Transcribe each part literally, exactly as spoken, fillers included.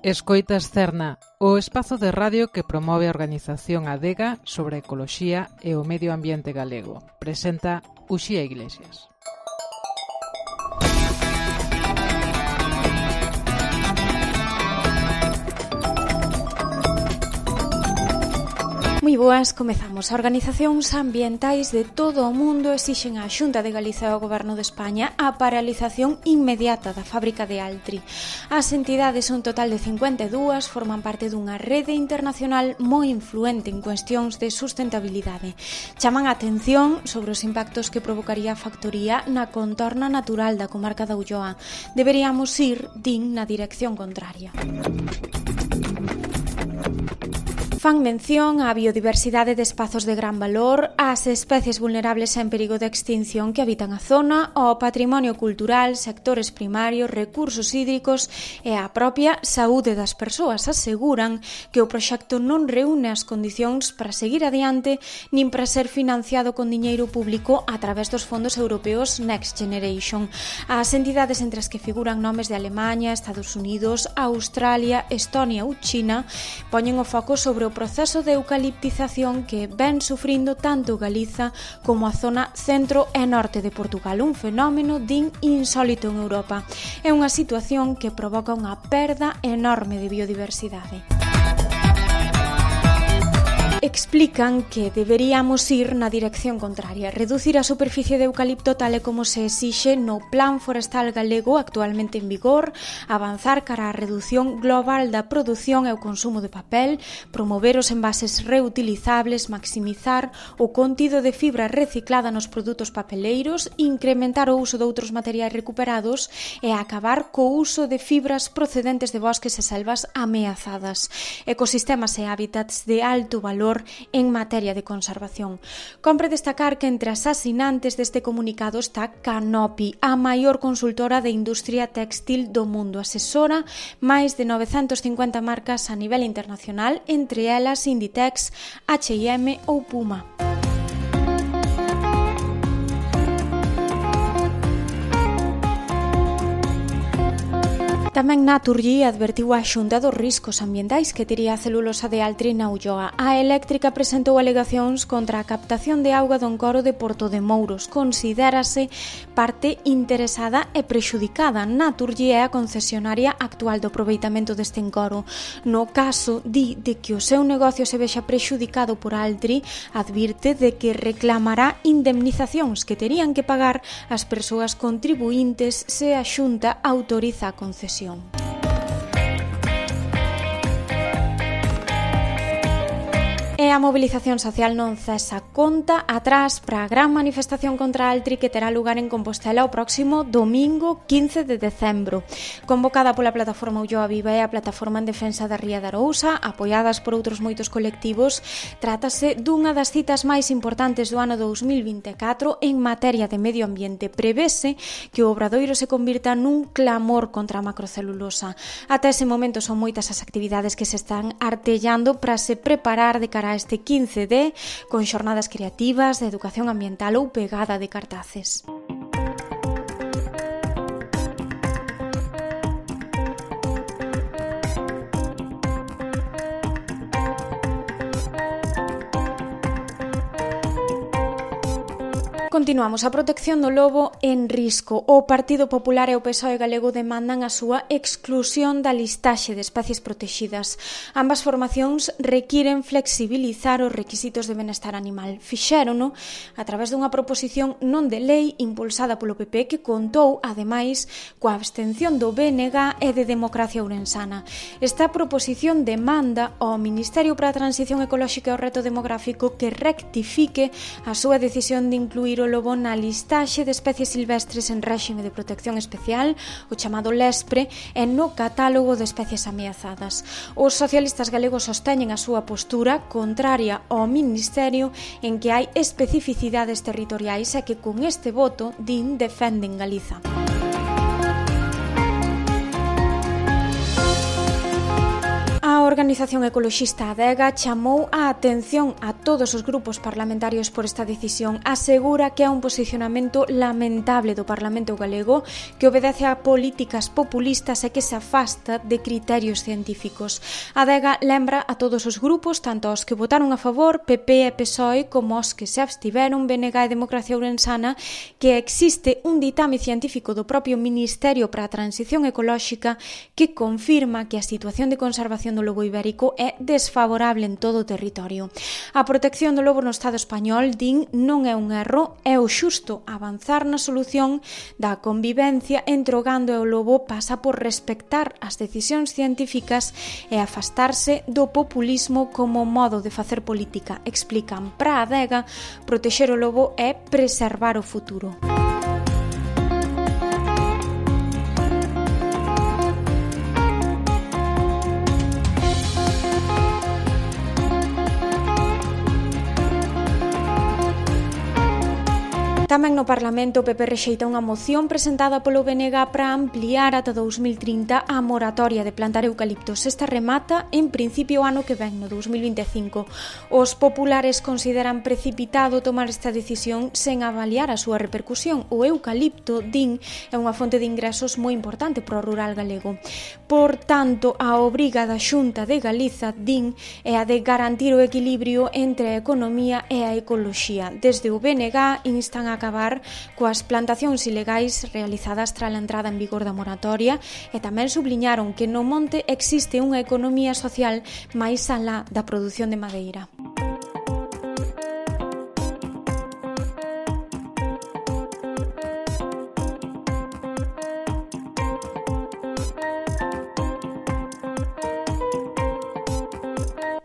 Escoitas Cerna, o espazo de radio que promove a organización Adega sobre a ecoloxía e o medio ambiente galego. Presenta Uxía Iglesias. Moi boas, comezamos. As organizacións ambientais de todo o mundo exixen á Xunta de Galicia e ao Goberno de España a paralización inmediata da fábrica de Altri. As entidades, un total de cincuenta e dúas, forman parte dunha rede internacional moi influente en cuestións de sustentabilidade. Chaman a atención sobre os impactos que provocaría a factoría na contorna natural da comarca da Ulloa. Deberíamos ir, din, na dirección contraria. Fan mención á biodiversidade de espazos de gran valor, ás especies vulnerables en perigo de extinción que habitan a zona, ao patrimonio cultural, sectores primarios, recursos hídricos e á propia saúde das persoas. Aseguran que o proxecto non reúne as condicións para seguir adiante nin para ser financiado con diñeiro público a través dos fondos europeos Next Generation. As entidades entre as que figuran nomes de Alemaña, Estados Unidos, Australia, Estonia ou China poñen o foco sobre o o proceso de eucaliptización que ven sufrindo tanto Galiza como a zona centro e norte de Portugal, un fenómeno din insólito en Europa. É unha situación que provoca unha perda enorme de biodiversidade. Explican que deberíamos ir na dirección contraria, reducir a superficie de eucalipto tal e como se exixe no Plan Forestal Galego actualmente en vigor, avanzar cara á redución global da produción e o consumo de papel, promover os envases reutilizables, maximizar o contido de fibra reciclada nos produtos papeleiros, incrementar o uso de outros materiais recuperados e acabar co uso de fibras procedentes de bosques e selvas ameazadas, ecosistemas e hábitats de alto valor en materia de conservación. Compre destacar que entre as asinantes deste comunicado está Canopy, a maior consultora de industria téxtil do mundo. Asesora máis de novecentas e cincuenta marcas a nivel internacional, entre elas Inditex, H e M ou Puma. Tamén Naturgy advertiu a Xunta dos riscos ambientais que tería a celulosa de Altri na Ulloa. A eléctrica presentou alegacións contra a captación de auga do encoro de Porto de Mouros. Considérase parte interesada e prexudicada. Naturgy é a concesionaria actual do aproveitamento deste encoro. No caso, di, de que o seu negocio se vexa prexudicado por Altri, advirte de que reclamará indemnizacións que terían que pagar as persoas contribuíntes se a Xunta autoriza a concesión. E a mobilización social non cesa, conta atrás para a gran manifestación contra Altri que terá lugar en Compostela o próximo domingo quince de decembro. Convocada pola Plataforma Ulloa Viva e a Plataforma en Defensa da Ría de Arousa, apoiadas por outros moitos colectivos, trátase dunha das citas máis importantes do ano dous mil vinte e catro en materia de medio ambiente. Prevese que o Obradoiro se convirta nun clamor contra a macrocelulosa. Ata ese momento son moitas as actividades que se están artellando para se preparar de cara a este quince de, con xornadas creativas, de educación ambiental ou pegada de cartaces. Continuamos. A protección do lobo en risco. O Partido Popular e o P S O E galego demandan a súa exclusión da listaxe de especies protegidas. Ambas formacións requiren flexibilizar os requisitos de benestar animal. Fixérono a través dunha proposición non de lei impulsada polo P P que contou, ademais, coa abstención do B N G e de Democracia Ourensana. Esta proposición demanda ao Ministerio para a Transición Ecolóxica e o Reto Demográfico que rectifique a súa decisión de incluir o lobo na listaxe de especies silvestres en réxime de protección especial, o chamado LESPRE, e no catálogo de especies ameazadas. Os socialistas galegos sosteñen a súa postura contraria ao Ministerio en que hai especificidades territoriais e que con este voto, din, defenden Galiza. A organización ecoloxista Adega chamou a atención a todos os grupos parlamentarios por esta decisión. Asegura que é un posicionamento lamentable do Parlamento galego que obedece a políticas populistas e que se afasta de criterios científicos. Adega lembra a todos os grupos, tanto aos que votaron a favor, P P e P S O E, como aos que se abstiveron, B N G e Democracia Ourensana, que existe un ditame científico do propio Ministerio para a Transición Ecolóxica que confirma que a situación de conservación do lobo ibérico é desfavorable en todo o territorio. A protección do lobo no Estado español, din, non é un erro, é o xusto. Avanzar na solución da convivencia entre o gando e o lobo pasa por respectar as decisións científicas e afastarse do populismo como modo de facer política. Explican, para a Adega, protexer o lobo é preservar o futuro. Tamén no Parlamento o P P rexeita unha moción presentada polo B N G para ampliar ata dous mil trinta a moratoria de plantar eucaliptos. Esta remata en principio o ano que ven, no dous mil vinte e cinco. Os populares consideran precipitado tomar esta decisión sen avaliar a súa repercusión. O eucalipto, din, é unha fonte de ingresos moi importante para o rural galego. Por tanto, a obriga da Xunta de Galiza, din, é a de garantir o equilibrio entre a economía e a ecoloxía. Desde o B N G instan a acabar coas plantacións ilegais realizadas tras a entrada en vigor da moratoria e tamén subliñaron que no monte existe unha economía social máis alá da produción de madeira.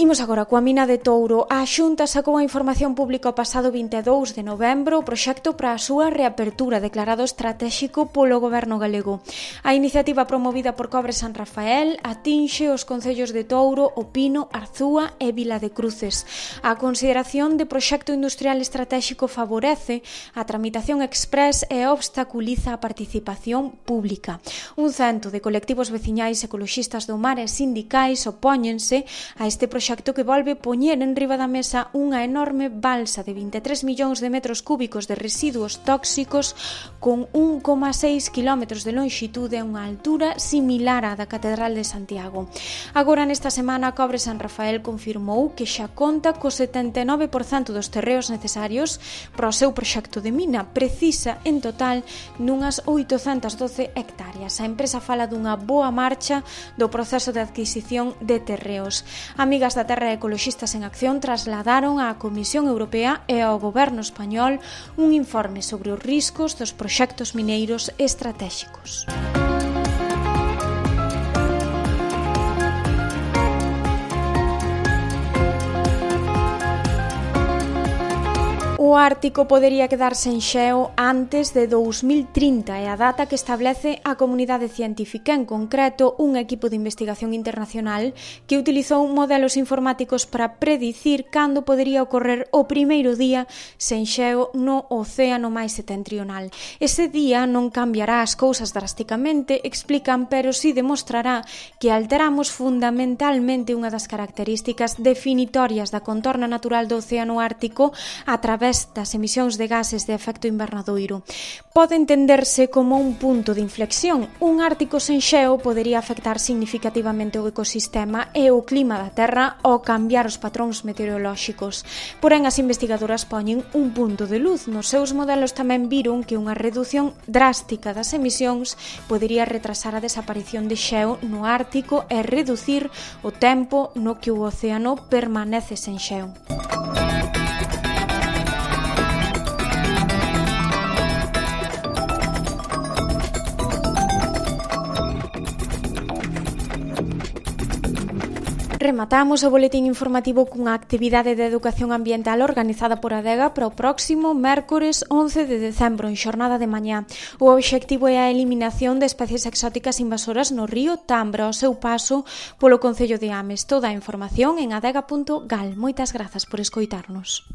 Imos agora coa mina de Touro. A Xunta sacou a información pública o pasado vinte e dous de novembro o proxecto para a súa reapertura declarado estratéxico polo goberno galego. A iniciativa promovida por Cobre San Rafael atinxe os concellos de Touro, O Pino, Arzúa e Vila de Cruces. A consideración de proxecto industrial estratéxico favorece a tramitación express e obstaculiza a participación pública. Un cento de colectivos veciñais ecoloxistas do mar e sindicais opóñense a este proxecto que volve poñer en riba da mesa unha enorme balsa de vinte e tres millóns de metros cúbicos de residuos tóxicos con un coma seis quilómetros de lonxitude e unha altura similar á da Catedral de Santiago. Agora, nesta semana, Cobre San Rafael confirmou que xa conta co setenta e nove por cento dos terreos necesarios para o seu proxecto de mina. Precisa, en total, nunhas oitocentas doce hectáreas. A empresa fala dunha boa marcha do proceso de adquisición de terreos. Amigas da Terra Ecoloxistas en Acción trasladaron á Comisión Europea e ao Goberno español un informe sobre os riscos dos proxectos mineiros estratéxicos. O Ártico podería quedar sen xeo antes de dous mil trinta, é a data que establece a comunidade científica, en concreto un equipo de investigación internacional que utilizou modelos informáticos para predicir cando podería ocorrer o primeiro día sen xeo no océano máis setentrional. Ese día non cambiará as cousas drásticamente, explican, pero si demostrará que alteramos fundamentalmente unha das características definitorias da contorna natural do océano Ártico a través das emisións de gases de efecto invernadoiro. Pode entenderse como un punto de inflexión. Un Ártico sen xeo podería afectar significativamente o ecosistema e o clima da Terra ao cambiar os patróns meteorolóxicos. Porén, as investigadoras poñen un punto de luz. Nos seus modelos tamén viron que unha redución drástica das emisións podería retrasar a desaparición de xeo no Ártico e reducir o tempo no que o océano permanece sen xeo. Rematamos o boletín informativo cunha actividade de educación ambiental organizada por Adega para o próximo mércores once de decembro en xornada de mañá. O obxectivo é a eliminación de especies exóticas invasoras no río Tambra ao seu paso polo concello de Ames. Toda a información en adega punto gal. Moitas grazas por escoitarnos.